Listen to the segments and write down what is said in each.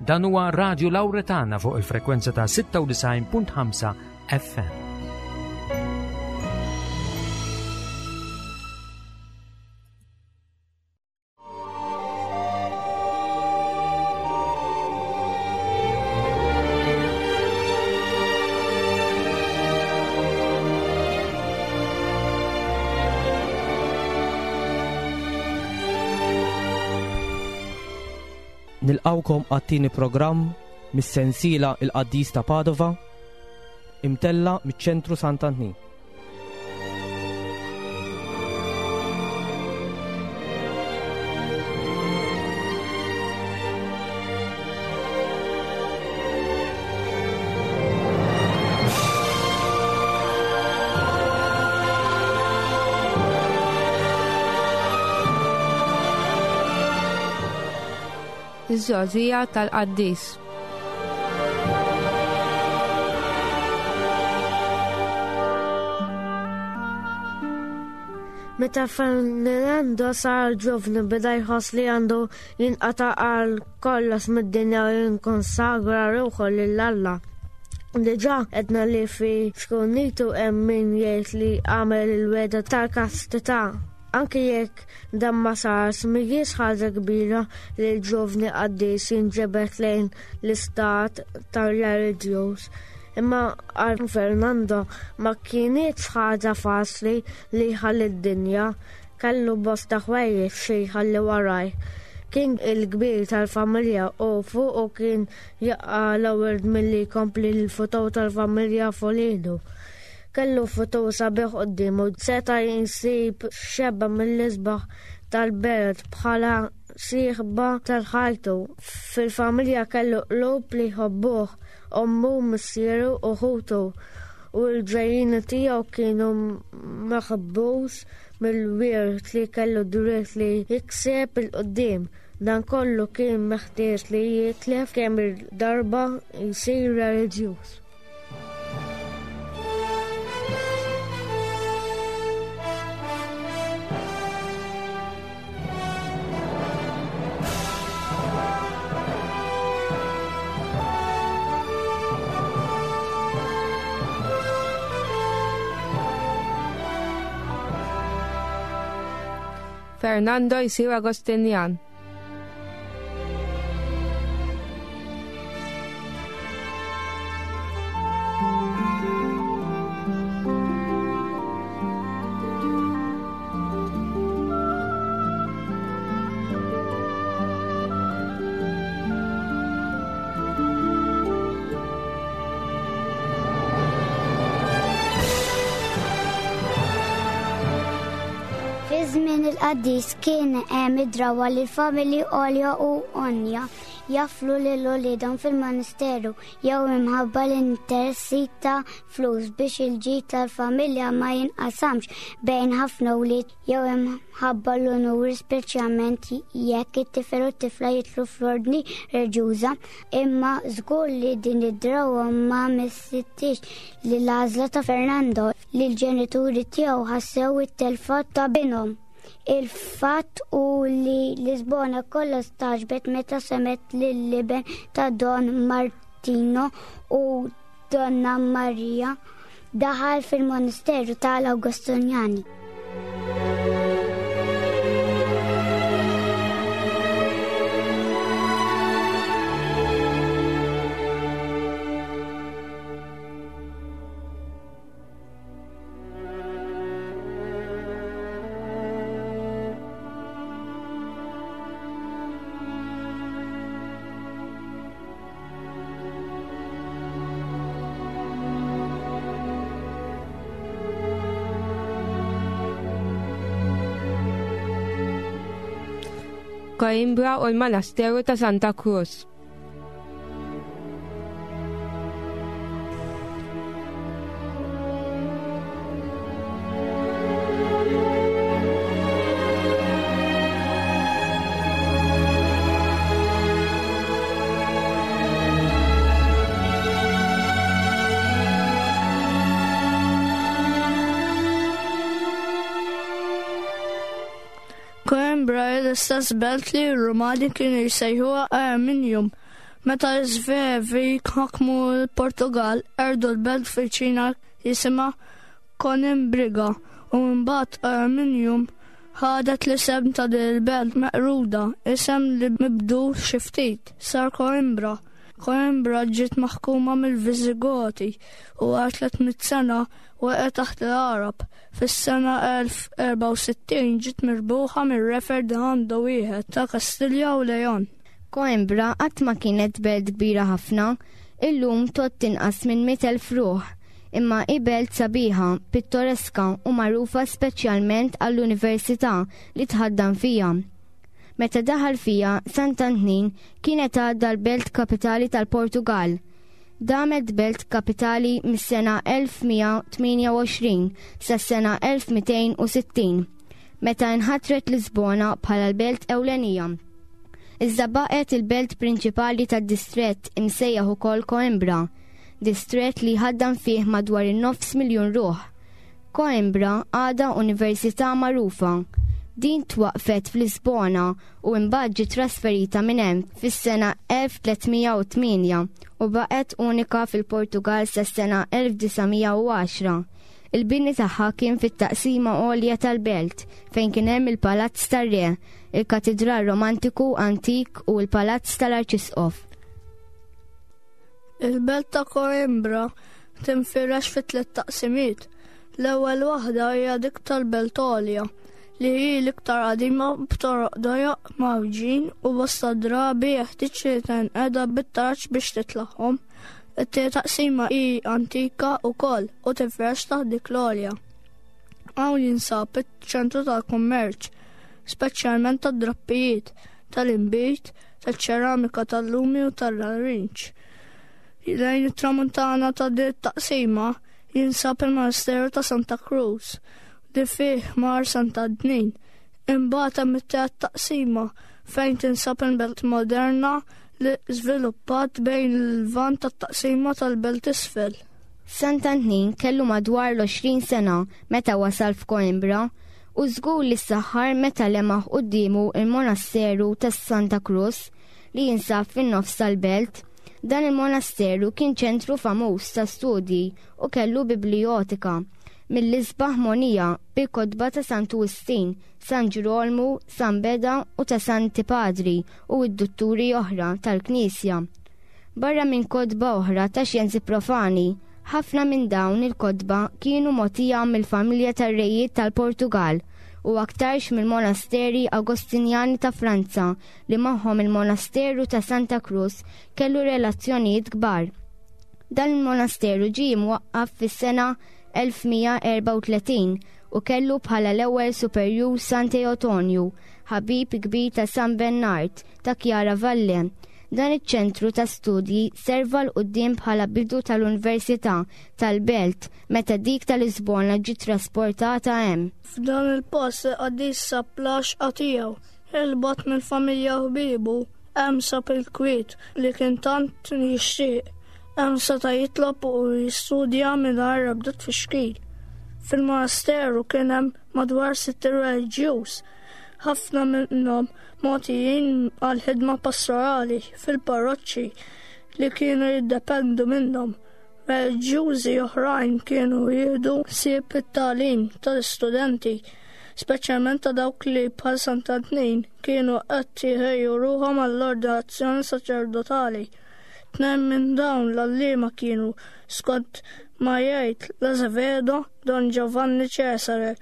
Dan huwa Radio Lauretana fuq il-frekwenza ta' 96.5 FM. Nilqawkom għat-tieni programm mis-sensiela Il-Qaddis ta' Padova imtella miċ-Ċentru Sant'Antnin. Iż-żgħożija tal-qaddis. Meta Fernando sar ġuvni beda jħoss li għandu jinqata' għal kollox mid-dinja u jinkonsagra ruħu lil Alla. Diġà għedna li fi xkunitu hemm min jgħid li għamel il-wegħda tal-kastità. Anki jekk dan ma sarx, mhijiex ħaġa kbira li l-ġuvni qaddis jinġibed lejn l-istat tar-reliġjuż. Imma għal Fernando ma kinitx ħaġa faċli li jħalli d-dinja. Kellu bosta ħwejjeġ xi jħalli warajh. Kien il-kbir tal-familja u fuqu kien jaqa' l-ewwel milli jkompli l-futur tal-familja f'uliedu. Kellu futur sabiħ quddiemu, seta' jsib xebgħa mill-isbaħ tal-belt bħala sieħba tal-ħajtu. Fil-familja kellu qlub li jħobbuh, ommu, missieru u ħutu, u l-ġejjieni tiegħu kienu meħbus mill-wirt li kellu dritt li jikseb 'il quddiem. Dan kollu kien meħtieġ li jitlef kemm il-darba jsir reliġjuż. Fernando jsir Agostinjan. Fi żmien il-qaddis kien hemm id-drawwa li l-familji għolja u għonja jaflu lil uliedhom fil-manisteru jew imħabba l-interessi ta' flus biex il-ġid tal-familja ma jinqasamx bejn ħafna wlied jew imħabba l-unuri speċjalment jekk it-tifel u t-tifla jidħlu fl-ordni reġjuża. Imma żgur li din id-drawwa ma missitix li l-għażla ta' Fernando li l-ġenituri tiegħu ħassew it-telfa ta' binhom. Il-fatt hu li Lisbona kollha stagħġbet meta semgħet li l-iben ta' Don Martino u Donna Maria daħal fil-Monasteru tal-Awgostinjani. Coimbra u l-Monasteru ta' Santa Cruz. Coimbra hi l-istess belt li r-Rumani kienu jsejħuha Arminium. Meta l-Svevi ħakmu l-Portugal, qerdu l-belt viċina jisimha Conímbriga u mbagħad Arminium ħadet l-isem ta' din il-belt meqruda, isem li mibdul xi ftit, sar Coimbra. Coimbra ġiet maħkuma mill-Viżigoti u għal 300 sena waqgħet taħt l-Għarab. Fis-sena 1064 ġiet mirbuħa mir-Re Ferdinando wieħed ta' Kastilja u Leon. Coimbra qatt ma kienet belt kbira ħafna, illum tgħodd inqas minn 100,000 ruħ, imma hi belt sabiħa, pittoreska u magħrufa speċjalment għall-università li tħaddan fiha. Meta daħal fiha, Sant'Antnin kienet għadha l-belt kapitali tal-Portugall. Damet belt kapitali mis-sena 1128 sas-sena 1260, meta inħatret Lisbona bħala l-belt ewlenija. Iżda baqgħet il-belt prinċipali tad-distrett imsejjaħ ukoll Coimbra, distrett li jħaddan fih madwar in-nofs miljun ruħ. Coimbra għadha università magħrufa. Din twaqqfet f'Lisbona u imbagħad ġiet trasferita minn hemm fis-sena 1308 u baqgħet unika fil-Portugall sas-sena 1910. Il-bini tagħha kien fit-taqsima għolja tal-belt fejn kien hemm il-Palazz tar-Re, il-Katidral Romantiku antik u l-Palazz tal-Arċisqof. Il-belt ta' Coimbra tinfirex fi tliet taqsimiet. L-ewwel waħda hija dik tal-Belt Għolja, li hi l-iktar qadima b'toroq dojoq mgħawġin u bosta drabi jeħtieġ li tinqeda bit-taraġ biex titlagħhom. It-tieni taqsima hi antika wkoll u tinfirex taħt dik l-għolja. Hawn jinsab iċ-ċentru tal-kummerċ, speċjalment tad-drappijiet, tal-inbid, taċ-ċeramika tal-lumi u tal-larinġ. Lejn it-tramuntana ta' din it-taqsima jinsab il-Monasteru ta' Santa Cruz, li fih mar Sant'Antnin. Imbagħad hemm it-tielet taqsima fejn tinsab il-belt moderna li żviluppat bejn il-Lvant tat-taqsima tal-Belt Isfel. Sant'Antnin kellu madwar l-20 sena meta wasal f'Coimbra u żgur li ssaħħar meta lemaħ quddiemu l-monasteru ta' Santa Cruz li jinsab fin-nofs tal-belt. Dan il-monasteru kien ċentru famuż ta' studji u kellu bibliotika mill-isbaħ mogħnija bil-kotba ta' Santu Wistin, San Ġirolmu, San Beda u ta' Santi Padri u d-dutturi oħra tal-Knisja. Barra minn kotba oħra ta' xjenzi profani, ħafna minn dawn il-kotba kienu mogħtija mill-familja tar-rejiet tal-Portugall u aktarx mill-monasteri Agostinjani ta' Franza li magħhom il-monasteru ta' Santa Cruz kellu relazzjonijiet kbar. Dan il-monasteru ġie mwaqqaf fis-sena 1134 u kellu bħala l-ewwel superjur San Teotonju, ħabib kbir ta' San Bernard ta' Chiara Valle. Dan iċ-ċentru ta' studji serva 'l quddiem bħala bidu tal-Università tal-belt meta dik ta' Lisbona ġiet trasportata hemm. F'dan il-post il-qaddis sab l-għaxqa tiegħu, 'il bogħod mill-familja u ħbiebu, hemm sab il-kwiet li kien tant jixtieq. Hemm seta' jitlob u jistudja mingħajr ebda tfixkil. Fil-monasteru kien hemm madwar 60 reliġjuż, ħafna minnhom mogħtijin għal ħidma pastorali fil-parroċċi li kienu jiddependu minnhom. Reliġjużi oħrajn kienu jieħdu ħsieb it-tagħlim tal-istudenti, speċjalment ta' dawk li bħal Sant'Antnin kienu qed jħejju ruħhom għall-ordinazzjoni saċerdotali. Tnejn minn dawn l-għalliema kienu, skont ma jgħid l-Azevedo, Don Giovanni Cesare,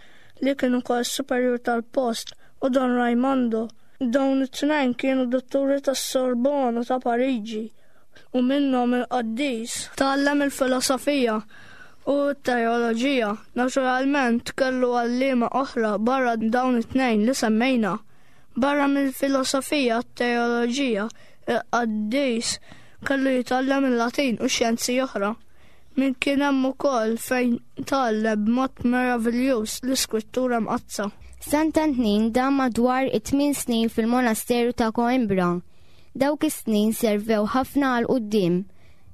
li kien ukoll superjur tal-post, u Don Raimondo. Dawn it-tnejn kienu dutturi tas-Sorbona ta' Pariġi u minnhom il-qaddis tgħallem il-filosofija u t-teoloġija. Naturalment kellu għalliema oħra barra dawn it-tnejn li semmejna. Barra mill-filosofija t-teoloġija, il-qaddis kellu jitgħallem il-Latin u xjenzi oħra. Min kien hemm ukoll fejn tgħallem b'mod meraviljuż l-Iskrittura Mqaddsa. Sant'Antnin dam madwar it-tmien snin fil-monasteru ta' Coimbra. Dawk is-snin servew ħafna għal quddiem.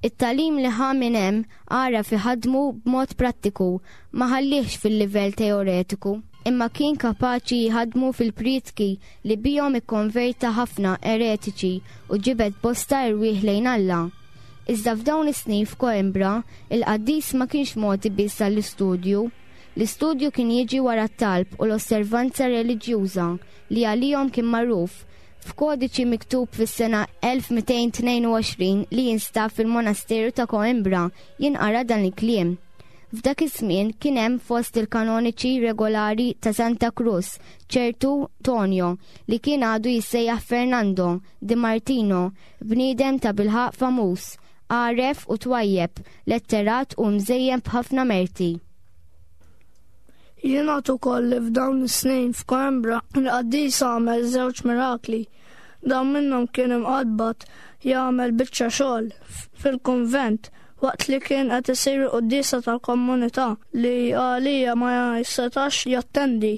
It-tagħlim li ħa minn hemm għaraf iħaddmu b'mod prattiku, ma ħalliehx fil-livell teoretiku. imma kien kapaċi jħaddmu fil-prietki li bihom ikkonverta ħafna eretiċi u ġibed bosta erwieħ lejn Alla. Iżda f'dawn is-snin f'Coimbra, il-qaddis ma kienx mogħti biss għall-istudju. L-istudju kien jiġi wara t-talb u l-osservanza reliġjuża li għalihom kien magħruf. F'kodiċi miktub fis-sena 1222 li jinstab fil-monasteru ta' Coimbra jinqara dan il-kliem. F'dak iż-żmien kien hemm fost il-kanoniċi regolari ta' Santa Cruz ċertu Tonio li kien għadu jissejjaħ Fernando di Martino, bniedem ta' bilħaqq famuż, għaref u twajjeb, letterat u mżejjen b'ħafna merti. Jingħad ukoll li f'dawn is-snin f'Coimbra il-qaddis għamel żewġ mirakli. Dan minnhom kien imqabbad jagħmel biċċa xogħol fil-kunvent waqt li kien qed isir il-quddiesa tal-komunità li għalija ma setax jattendi.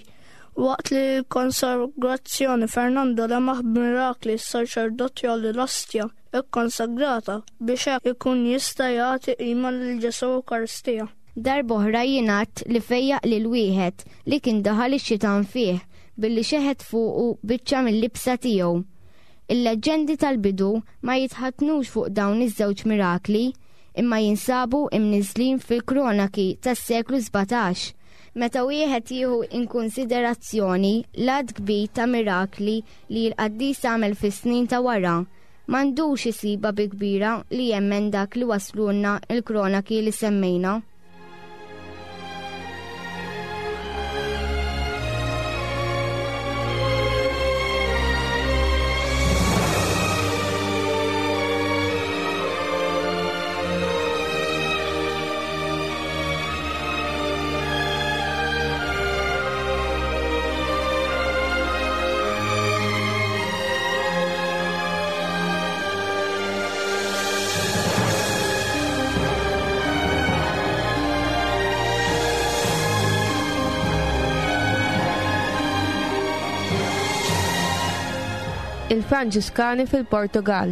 Waqt li l-konsagrazzjoni Fernando lemaħ b'mirakli s-saċerdot jgħolli l-ostja kkonsagrata biex hekk ikun jista' jagħti qima lil Ġesù Ewkaristija. Darb'oħra jingħad li fejjaq lil wieħed li kien daħal ix-xitan fih billi xeħet fuqu biċċa mil-libsa tiegħu. Il-leġġendi tal-bidu ma jitħaddnux fuq dawn iż-żewġ mirakli, imma jinsabu imniżżlin fil-kronaki tas-seklu 17. Meta wieħed jieħu inkunsiderazzjoni l-għadd kbir ta' mirakli li l-qaddis għamel fis-snin ta' wara, m'għandux isibha bi kbira li jemmen dak li waslulna l-kronaki li semmejna. Il-Franġiskani fil-Portugal.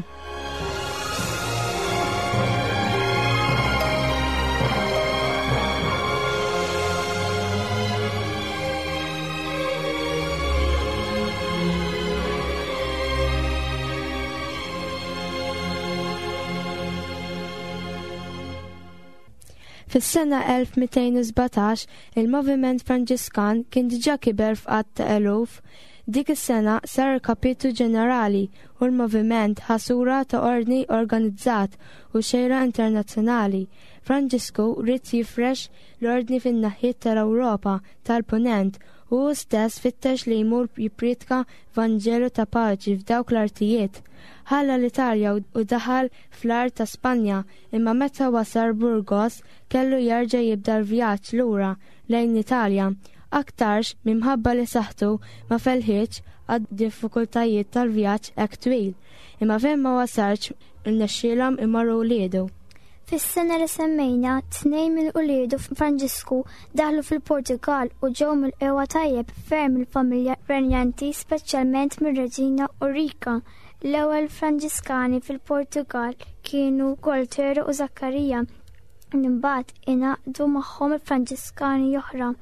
Fis-sena 1217, il-Moviment Franġiskan kien diġà kiber f'għadd ta' eluf. Dik is-sena sar il-Kapitlu Ġenerali u l-Moviment ħa sura ta' ordni organizzat u xejra internazzjonali. Franġisku ried jifrex l-ordni fin-naħiet tal-Ewropa tal-Punent u hu stess fittex li jmur jipprietka Vanġelu ta' paċi f'dawk l-artijiet. Ħalla l-Italja u daħal fl-art ta' Spanja, imma meta wasal Burgos kellu jerġa' jibda l-vjaġġ lura lejn l-Italja, aktarx minħabba li saħħtu ma felħitx għad-diffikultajiet tal-vjaġġ hekk twil. Imma fejn ma wasalx irnexxielhom imorru wliedu. Fis-sena li semmejna, tnejn minn uliedu Franġisku daħlu fil-Portugal u ġew milqewha tajjeb ferm mill-familja renjanti, speċjalment mir-Reġina Ulrika. L-ewwel Franġiskani fil-Portugal kienu Gualteru u Zakkarija, li mbagħad ingħaqdu magħhom il-Franġiskani oħra.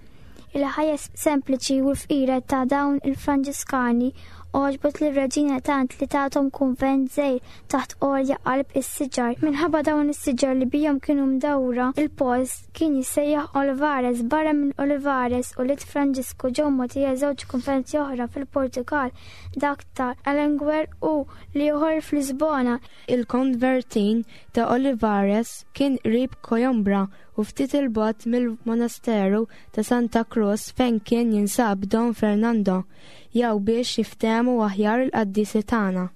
Il-ħajja sempliċi u l-fqira ta' dawn il-Franġiskani għoġbot lir-reġina tant li tathom kunvent żgħir taħt għolja qalb is-siġar. Minħabba dawn is-siġar li bihom kienu mdawra, il-post kien jissejjaħ Olivares. Barra minn Olivares u Lit Franġisku ġew mogħtija żewġ kunventi oħra fil-Portugal, dak ta' Alenquer u l-ieħor f'Lisbona. Il-konvertin ta' Olivares kien qrib Coimbra u ftit 'il bogħod mill-monasteru ta' Santa Cruz fejn kien jinsab Don Fernando, jew biex jiftehmu aħjar il-qaddisi tagħna.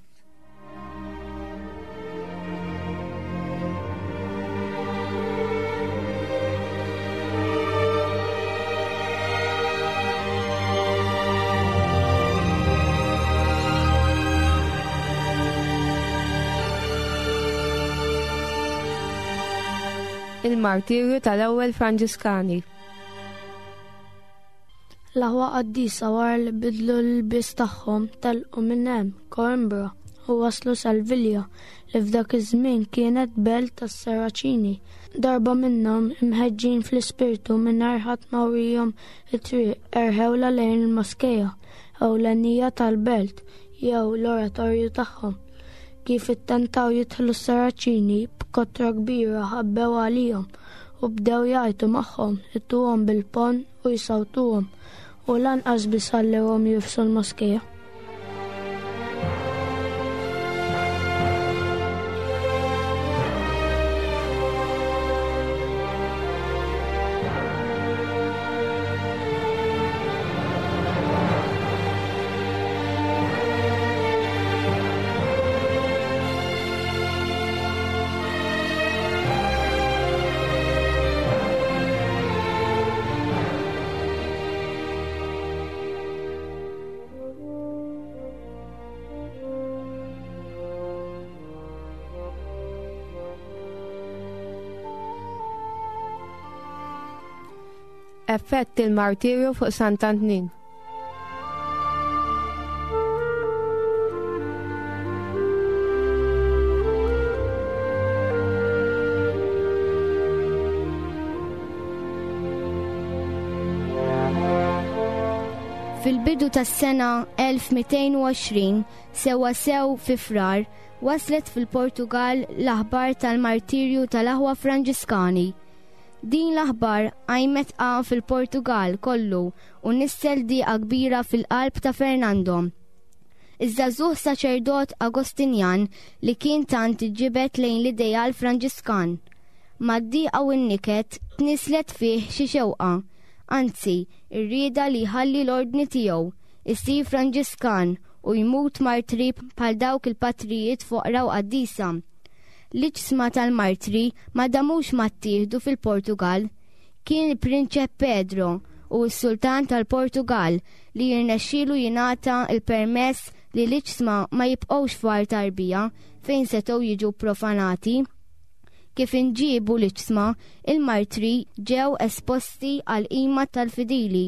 Il-martirju tal-ewwel Franġiskani. L-aħwa qaddisa wara li bidlu l-lbies tagħhom telqu minn hemm, Coimbra, u waslu Salvilja li f'dak iż-żmien kienet belt tas-Saraċini. Darba minnhom imħeġġin fl-ispirtu mingħajr ħadd ma wrijhom it-triq erħewla lejn il-moskeja ewlenija tal-belt jew l-oratorju tagħhom. Kif ittentaw jidħlu s-Saraċini b'kotra kbira ħabbew għalihom u bdew jgħajtu magħhom, ituhom bil-ponn u jsawtuhom u lanqas biss ħallewhom jirfsu l-moskeja. Effett il-martirju fuq Sant'Antnin. Fil-bidu tas-sena 1220, sewwa sew fi Frar, waslet fil-Portugal l-aħbar tal-martirju tal-aħwa Franġiskani. Din l-aħbar qajmet għagħa fil-Portugal kollu u nissel dieqa kbira fil-qalb ta' Fernando. Iż-żagħżugħ saċerdot Agostinjan li kien tant iġġibed lejn l-ideal Franġiskan. Mad-dieqa u n-niket tnisslet fih xi xewqa, anzi, ir-rieda li jħalli l-ordni tiegħu, isir Franġiskan u jmut martri bħal dawk il-patrijiet foqra u qaddisa. L-iġsma tal-martri ma damux ma ttieħdu fil-Portugall. Kien il-Prinċep Pedro u s-Sultan tal-Portugall li jirnexxielu jingħata l-permess li l-iġsma ma jibqgħux f'għar tarbija fejn setgħu jiġu profanati. Kif inġiebu l-iġsma, il-martri ġew esposti għall-qima tal-fidili.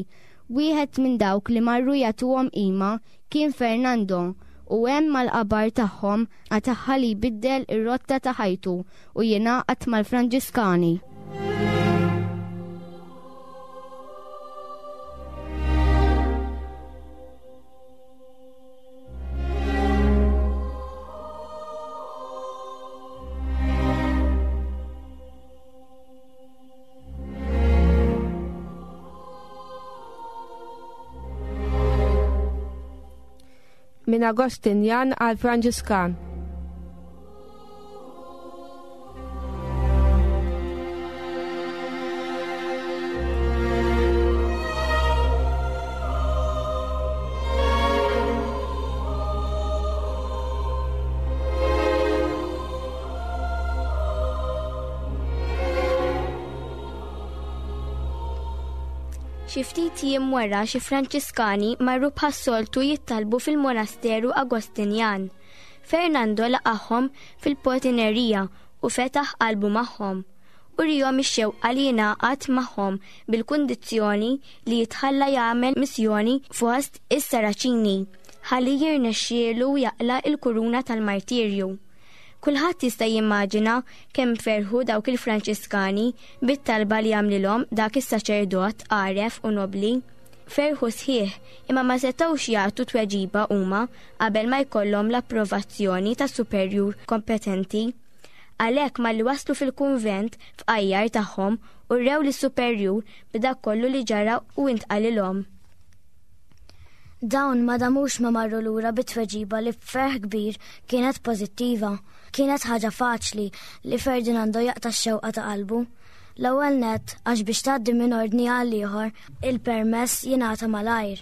Wieħed minn dawk li marru jagħtuhom qima kien Fernando u hemm mal-qabar tagħhom qatagħha li jbiddel ir-rotta ta' ħajtu u jingħaqad mal-Franġiskani. Minn Agostinjan għal Franġiskan. Xi ftit jiem wara xi Franċiskani marru bħas-soltu jittalbu fil-monasteru Agostinjan. Fernando laqagħhom fil-potinerija u fetaħ qalbu magħhom. Urihom ix-xewqa li jingħaqad magħhom bil-kundizzjoni li jitħalla jagħmel missjoni fost is-Saraċini ħalli jirnexxielu jaqla' l-kuruna tal-martirju. Kulħadd jista' jimmaġina kemm ferħu dawk il-Franċiskani bit-talba li għamlilhom dak is-saċerdot għaref u nobbli. Ferħu sħiħ, imma ma setgħux jagħtu tweġiba huma qabel ma jkollhom l-approvazzjoni tas-superjur kompetenti. Għalhekk malli waslu fil-kunvent f'qajjar tagħhom urrew lis-superjur b'dak kollu li ġara u intqalilhom. Dawn ma damux ma marru lura bi tweġiba li b'ferħ kbir kienet pożittiva. Kienet ħaġa faċli li Ferdinando jaqta' x-xewqa ta' qalbu. L-ewwel nett għax biex tgħaddi minn ordni għal ieħor il-permess jingħata malajr.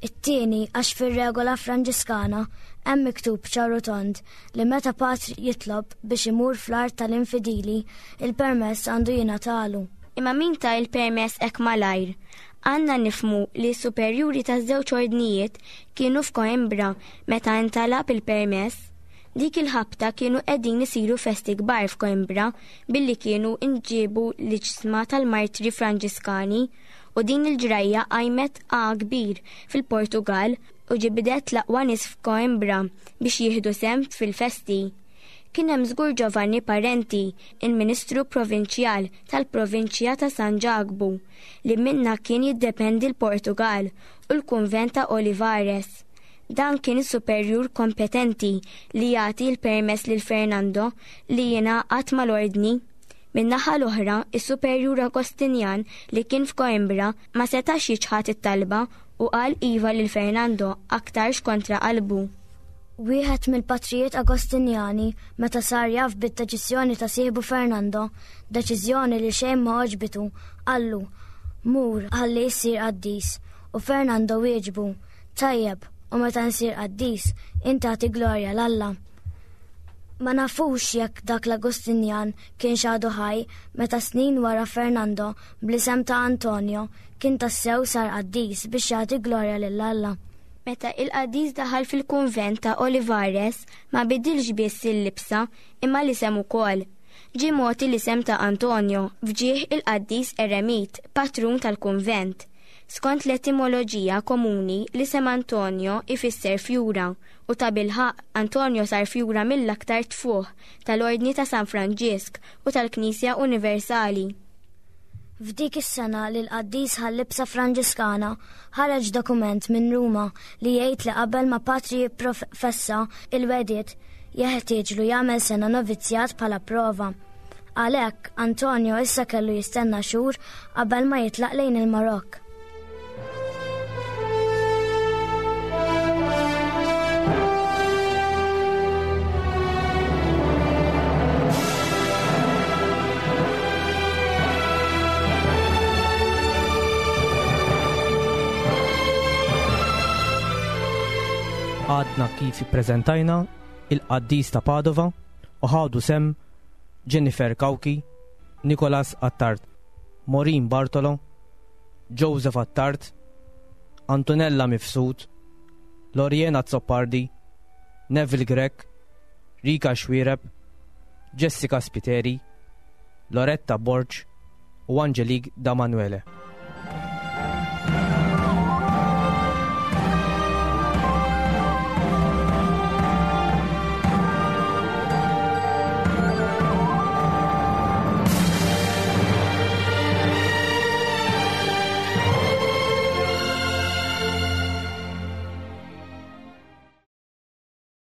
It-tieni għax fir-regola Franġiskana hemm miktub ċar u tond li meta patri jitlob biex imur fl-art tal-infidili, il-permess għandu jingħatalu. Imma min ta l-permess hekk malajr? Għandna nifhmu li s-superjuri taż-żewġ ordnijiet kienu f'Coimbra meta intalab il-permess. Dik il-ħabta kienu qegħdin isiru festi kbar f'Coimbra billi kienu nġiebu l-iġsma tal-martri Franġiskani u din il-ġrajja qajmet għagħa kbir fil-Portugall. u ġibdet l-aqwa nies f'Coimbra biex jieħdu sehem fil-festi. Kien hemm żgur Giovanni Parenti, il-Ministru Provinċjal tal-Provinċja ta' San Ġakbu, li minnha kien jiddependi l-Portugall u l-Kunvent ta' Olivares. Dan kien is-superjur kompetenti li jagħti l-permess lil Fernando li jingħaqad mal-Ordni. Min-naħa l-oħra, is-superjur Agostinjan li kien f'Coimbra ma setax jiċħad it-talba u qal iva lil Fernando aktarx kontra qalbu. Wieħed mill-patrijiet Agostinjani meta sar jaf bid-deċiżjoni ta' sieħbu Fernando, deċiżjoni li xejn ma għoġbitu, qallu, Mur ħalli ssir qaddis. U Fernando wieġbu, Tajjeb, u meta nsir qaddis, int tagħti glorja 'l Alla. Ma nafux jekk dak l-Agostinjan kienx għadu ħaj meta snin wara Fernando, bl-isem ta' Antonio, kien tassew sar qaddis biex jagħti glorja lil Alla. Meta il-qaddis daħal fil-kunvent ta' Olivares, ma bidilx biss il-libsa, imma l-isem ukoll. Ġie mogħti l-isem ta' Antonio f'ġieħ il-qaddis eremit, patrun tal-kunvent. Skont l-etimoloġija komuni, l-isem Antonio ifisser fjura, u tabilħaqq Antonio sar fjura mill-aktar tfuħ tal-Ordni ta' San Franġisk u tal-Knisja Universali. F'dik is-sena li l-qaddis ħa l-libsa Franġiskana, ħareġ dokument minn Ruma li jgħid li qabel ma patri jipprofessa il-wegħdiet, jeħtieġlu jagħmel sena novizzjat bħala prova. Għalhekk, Antonio issa kellu jistenna xhur qabel ma jitlaq lejn il-Marokk. Għadna kif ippreżentajna il-qaddis ta' Padova u ħadu sem Jennifer Cauchi, Nicholas Attard, Maureen Bartolo, Joseph Attard, Antonella Mifsud, Loriena Azzopardi, Neville Grech, Rika Xuereb, Jessica Spiteri, Loretta Borg u Angelique Damanuele.